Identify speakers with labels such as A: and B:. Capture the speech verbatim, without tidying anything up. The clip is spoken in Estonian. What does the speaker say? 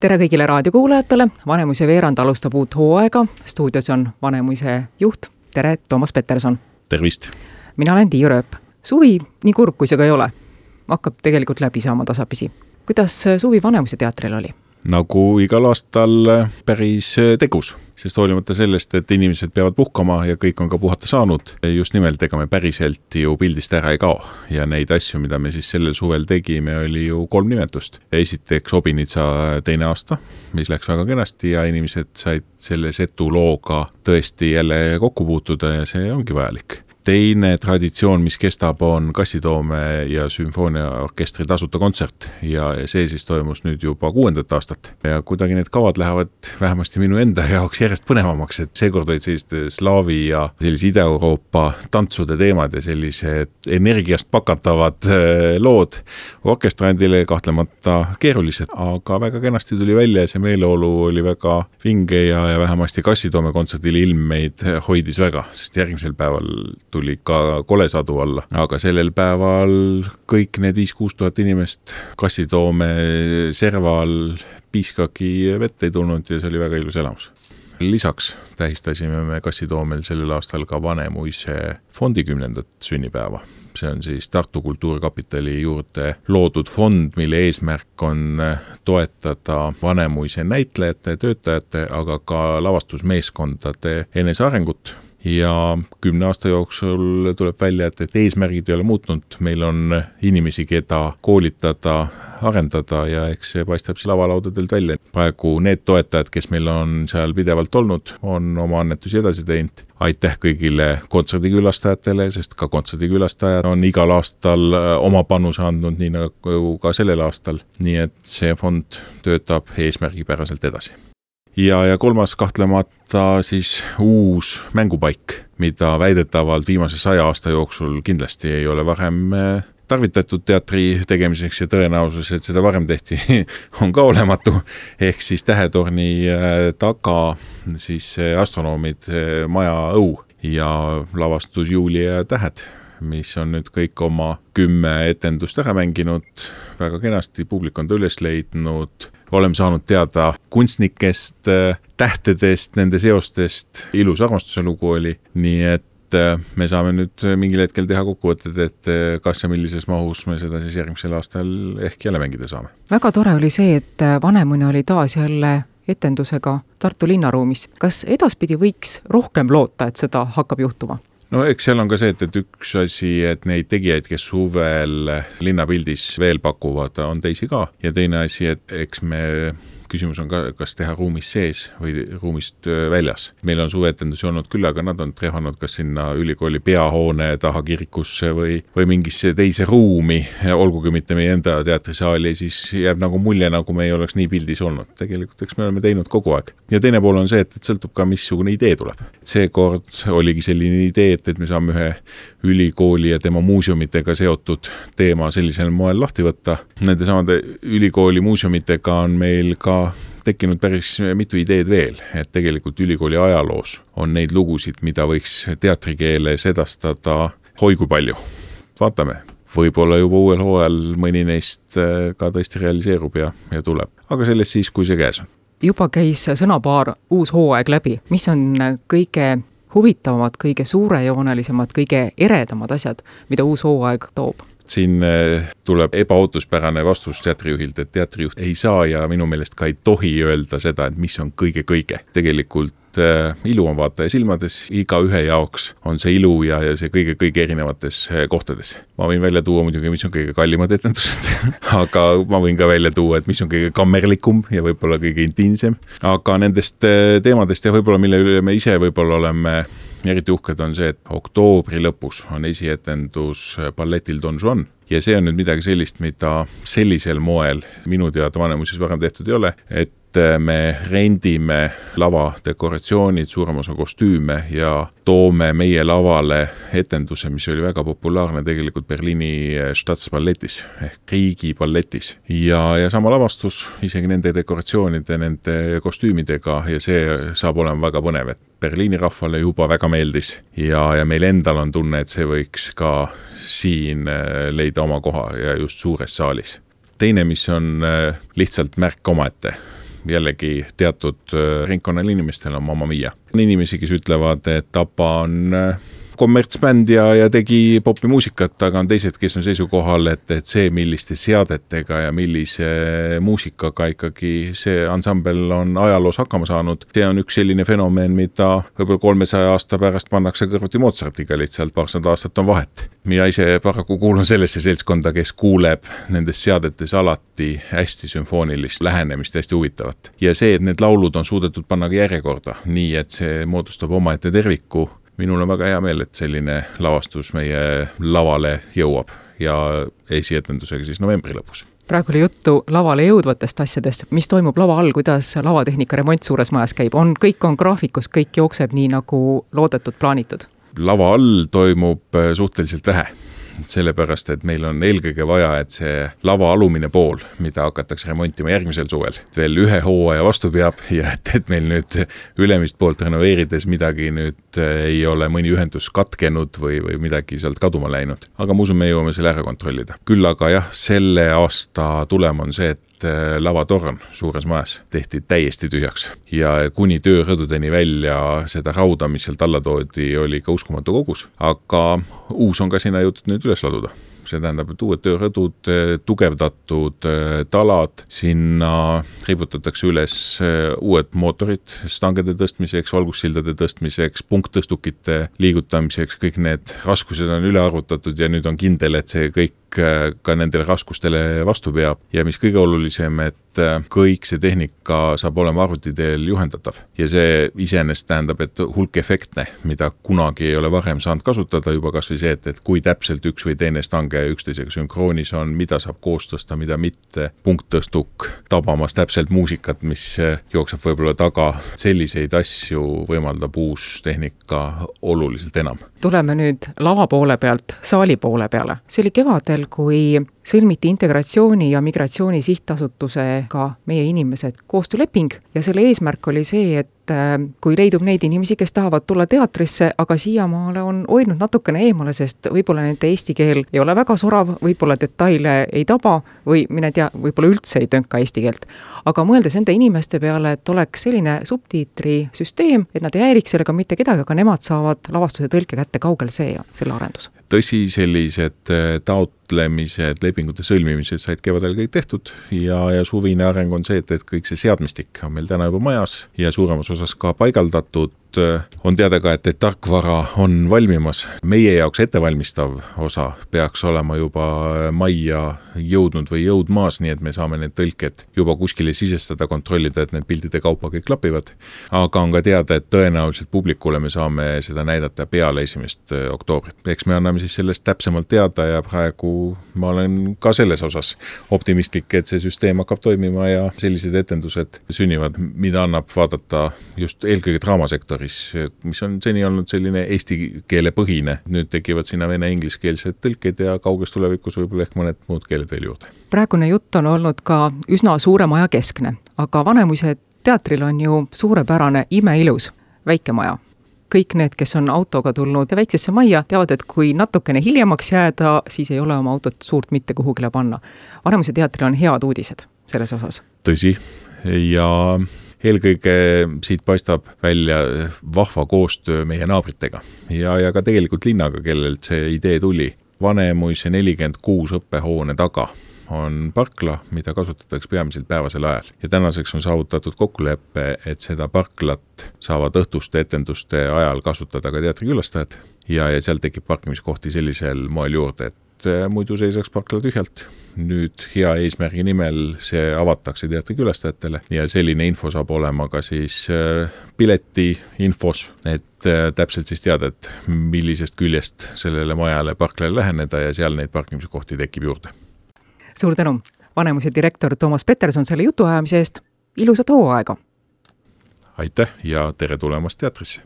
A: Tere kõigile raadiokuulajatele, Vanemuise veerand alustab uut hooaega, stuudios on Vanemuise juht, tere Toomas Peterson.
B: Tervist!
A: Mina olen Tiiu Rööp. Suvi, nii kurb kui see ka ei ole, hakkab tegelikult läbi saama tasapisi. Kuidas suvi Vanemuise teatril oli?
B: Nagu igal aastal päris tegus, sest hoolimata sellest, et inimesed peavad puhkama ja kõik on ka puhata saanud, just nimelt ega me päriselt ju pildist ära ei kao. Ja neid asju, mida me siis sellel suvel tegime, oli ju kolm nimetust. Esiteks Obinitsa teine aasta, mis läks väga kenasti ja inimesed said selle setu looga tõesti jälle kokku puutuda ja see ongi vajalik. Teine traditsioon, mis kestab, on Kassitoome ja sümfooniaorkestri tasuta kontsert ja see siis toimus nüüd juba kuuendat aastat. Ja kuidagi need kavad lähevad vähemasti minu enda jaoks järjest põnevamaks, et seekord olid selliste slaavi ja sellise Ida-Euroopa tantsude teemad ja sellised energiast pakatavad lood. Orkestrandile kahtlemata keerulised, aga väga kenasti tuli välja ja see meeleolu oli väga vinge ja, ja vähemasti Kassitoome kontserdil ilm meid hoidis väga, sest järgmisel päeval tuli ka kolesadu alla, aga sellel päeval kõik need viis-kuus tuhat inimest Kassitoome serval piiskagi vett ei tulnud ja see oli väga ilus elamus. Lisaks tähistasime me Kassitoomel sellel aastal ka Vanemuise fondi kümnendat sünnipäeva. See on siis Tartu Kultuurkapitali juurde loodud fond, mille eesmärk on toetada Vanemuise näitlejate, töötajate, aga ka lavastusmeeskondade enesearengut. Ja kümne aasta jooksul tuleb välja, et, et eesmärgid ei ole muutnud. Meil on inimesi, keda koolitada, arendada ja eks see paistab see lavalaudadelt välja. Praegu need toetajad, kes meil on seal pidevalt olnud, on oma annetusi edasi teinud. Aitäh kõigile kontserdikülastajatele, sest ka kontserdikülastajad on igal aastal oma panuse andnud, nii nagu ka sellel aastal. Nii et see fond töötab eesmärgipäraselt edasi. Ja, ja kolmas kahtlemata siis uus mängupaik, mida väidetavalt viimase saja aasta jooksul kindlasti ei ole varem tarvitatud teatri tegemiseks ja tõenäosus, et seda varem tehti, on ka olematu. Ehk siis Tähetorni taga siis astronoomid maja õu ja lavastus Juuli ja tähed, mis on nüüd kõik oma kümme etendust ära mänginud, väga kenasti, publik on ta üles leidnud. Oleme saanud teada kunstnikest, tähtedest, nende seostest, ilus armastuse lugu oli, nii et me saame nüüd mingil hetkel teha kokkuvõtted, et kas ja millises mahus me seda siis järgmisel aastal ehk jälle mängida saame.
A: Väga tore oli see, et Vanemuine oli taas jälle etendusega Tartu linnaruumis. Kas edaspidi võiks rohkem loota, et seda hakkab juhtuma?
B: No eks seal on ka see, et, et üks asi, et neid tegijaid, kes suvel linnapildis veel pakuvad, on teisi ka. Ja teine asi, et eks me küsimus on ka, kas teha ruumis sees või ruumist väljas. Meil on suveetendusi olnud küll, aga nad on trehanud kas sinna ülikooli peahoone taha kirikusse või, või mingisse teise ruumi, olgugi mitte meie enda teatrisaali, siis jääb nagu mulje, nagu me ei oleks nii pildis olnud. Tegelikult eks me oleme teinud kogu aeg. Ja teine pool on see, et, et sõltub ka, missugune idee tuleb. Seekord oligi selline idee, et, et me saame ühe ülikooli ja tema muuseumitega seotud teema sellisel moel lahti võtta. Nende samade ülikooli muuseumitega on meil ka tekkinud päris mitu ideed veel, et tegelikult ülikooli ajaloos on neid lugusid, mida võiks teatrikeeles edastada hoigu palju. Vaatame, võib-olla juba uuel hooajal mõni neist ka tõesti realiseerub ja, ja tuleb, aga sellest siis, kui see käes on.
A: Juba käis sõnapaar uus hooaeg läbi. Mis on kõige huvitavamad, kõige suurejoonelisemad, kõige eredamad asjad, mida uus hooaeg toob?
B: Siin tuleb ebaootuspärane vastus teatrijuhilt, et teatrijuht ei saa ja minu meelest ka ei tohi öelda seda, et mis on kõige-kõige. Tegelikult ilu on vaataja silmades, iga ühe jaoks on see ilu ja, ja see kõige-kõige erinevates kohtades. Ma võin välja tuua muidugi, mis on kõige kallimad etendused, aga ma võin ka välja tuua, et mis on kõige kammerlikum ja võib-olla kõige intiimsem. Aga nendest teemadest ja võib-olla mille üle me ise võib-olla oleme eriti uhked on see, et oktoobri lõpus on esietendus balletil Don Juan ja see on nüüd midagi sellist, mida sellisel moel minu teada Vanemuises varem tehtud ei ole, et me rendime lava dekoratsioonid, suurem osa kostüüme ja toome meie lavale etenduse, mis oli väga populaarne tegelikult Berliini Staatsballetis ehk riigiballetis. Ja, ja sama lavastus isegi nende dekoratsioonide, nende kostüümidega ja see saab olema väga põnev, et Berliini rahvale juba väga meeldis ja, ja meil endal on tunne, et see võiks ka siin leida oma koha ja just suures saalis. Teine, mis on lihtsalt märk omaette, jällegi teatud ringkonnal inimestel on Mamma Mia. On inimesi, kes ütlevad, et Tapa on kommertsbänd ja, ja tegi popimuusikat, aga on teised, kes on seisukohal, et, et see, milliste seadetega ja millise muusikaga ikkagi see ansambel on ajaloos hakkama saanud, see on üks selline fenomen, mida võib-olla kolmesaja aasta pärast pannakse kõrvuti Mozartiga, lihtsalt paarsada aastat on vahet. Mina ise paraku kuulun sellesse seltskonda, kes kuuleb nendes seadetes alati hästi sümfoonilist lähenemist, hästi huvitavat. Ja see, et need laulud on suudetud panna ka järjekorda, nii et see moodustab omaette terviku. Minul on väga hea meel, et selline lavastus meie lavale jõuab ja esietendusega siis novembri lõpus.
A: Praegu oli juttu lavale jõudvatest asjadest, mis toimub lava all, kuidas lavatehnika remont suures majas käib. On, kõik on graafikus, kõik jookseb nii nagu loodetud, plaanitud.
B: Lava all toimub suhteliselt vähe. Sellepärast, et meil on eelkõige vaja, et see lava alumine pool, mida hakatakse remontima järgmisel suvel, veel ühe hooaja vastu peab ja et, et meil nüüd ülemist poolt renoveerides midagi nüüd ei ole mõni ühendus katkenud või, või midagi sealt kaduma läinud. Aga ma usun, me jõuame selle ära kontrollida. Küll aga jah, selle aasta tulem on see, et lavatorn suures majas tehti täiesti tühjaks ja kuni töörõdudeni välja seda rauda, mis sealt alla toodi, oli ka uskumatu kogus, aga uus on ka sinna jõutud nüüd üles laduda. See tähendab, et uued töörõdud, tugevdatud talad, sinna riputatakse üles uued mootorid stangede tõstmiseks, valgussildade tõstmiseks, punkttõstukite liigutamiseks, kõik need raskused on üle arvutatud ja nüüd on kindel, et see kõik ka nendele raskustele vastu peab ja mis kõige olulisem, et kõik see tehnika saab olema arvuti teel juhendatav ja see iseenesest tähendab, et hulk efektne, mida kunagi ei ole varem saanud kasutada, juba kas või see, et, et kui täpselt üks või teine stange üksteisega sünkroonis on, mida saab koos tõsta, mida mitte, punkttõstuk tabamas täpselt muusikat, mis jookseb võib-olla taga, selliseid asju võimaldab uus tehnika oluliselt enam. Tuleme
A: nüüd lava poole pealt saali poole peale. See oli kevadel, kui sõlmiti Integratsiooni ja Migratsiooni Sihtasutusega meie inimesed koostööleping ja selle eesmärk oli see, et kui leidub neid inimesi, kes tahavad tulla teatrisse, aga siiamaale on hoidnud natukene eemale, sest võib-olla nende eesti keel ei ole väga sorav, võib-olla detaile ei taba või mine tea, võib-olla üldse ei tönka eesti keelt. Aga mõeldes nende inimeste peale, et oleks selline subtiitrisüsteem, et nad ei häiriks sellega mitte kedagi, aga nemad saavad lavastuse tõlke kätte, kaugel see ja selle arendus.
B: Tõsi, sellised taotlemised, lepingute sõlmimised said kevadel kõik tehtud ja, ja suvine areng on see, et, et kõik see seadmistik on meil täna juba majas ja suuremas osas ka paigaldatud. On teada ka, et, et tarkvara on valmimas. Meie jaoks ettevalmistav osa peaks olema juba majja jõudnud või jõudmaas, nii et me saame need tõlked juba kuskile sisestada, kontrollida, et need pildide kaupa kõik klapivad. Aga on ka teada, et tõenäoliselt publikule me saame seda näidata peale esimest oktoobrit. Eks me anname siis sellest täpsemalt teada ja praegu ma olen ka selles osas optimistlik, et see süsteem hakkab toimima ja sellised etendused sünnivad, mida annab vaadata just eelkõige draamasektori, mis on seni olnud selline eesti keele põhine. Nüüd tekivad sinna vene-ingliskeelsed tõlked ja kauges tulevikus võib-olla ehk mõned muud keeled veel juurde.
A: Praegune jutt on olnud ka üsna suure maja keskne, aga Vanemuise teatril on ju suurepärane imeilus väike maja. Kõik need, kes on autoga tulnud väiksesse majja, teavad, et kui natukene hiljemaks jääda, siis ei ole oma autot suurt mitte kuhugile panna. Vanemuise teatril on head uudised selles osas.
B: Tõsi, ja eelkõige siit paistab välja vahva koostöö meie naabritega ja, ja ka tegelikult linnaga, kellelt see idee tuli. Vanemuise nelikümmend kuus õppehoone taga on parkla, mida kasutatakse peamiselt päevasel ajal. Ja tänaseks on saavutatud kokkuleppe, et seda parklat saavad õhtuste etenduste ajal kasutada ka teatrikülastajad ja, ja seal tekib parkimiskohti sellisel moel juurde, et muidu seisaks parkla tühjalt. Nüüd hea eesmärgi nimel see avatakse teatrikülastajatele ja selline info saab olema ka siis pileti infos, et täpselt siis teada, et millisest küljest sellele majale parklale läheneda ja seal neid parkimiskohti tekib juurde.
A: Suur tänu, Vanemuise direktor Toomas Peterson selle jutuajamise eest. Ilusat hooaega!
B: Aitäh ja tere tulemast teatrisse!